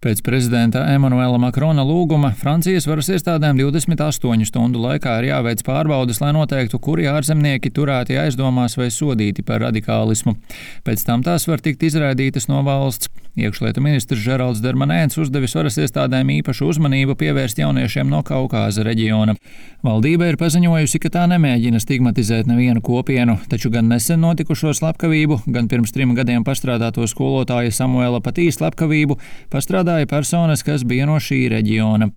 Pēc prezidenta Emanuela Makrona lūguma Francijas varas iestādēm 28 stundu laikā ir jāveic pārbaudes, lai noteiktu, kuri ārzemnieki turēti aizdomās vai sodīti par radikālismu. Pēc tam tās var tikt izraidītas no valsts. Iekšlietu ministrs Žeralds Darmanēns uzdevis varas iestādēm īpašu uzmanību pievērst jauniešiem no Kaukāza reģiona. Valdība ir paziņojusi, ka tā nemēģina stigmatizēt nevienu kopienu, taču gan nesen notikušo slepkavību, gan pirms 3 gadiem pastrādāto skolotāja Samuela Patī slepkavību pastrādāja personas, kas bija no šī reģiona.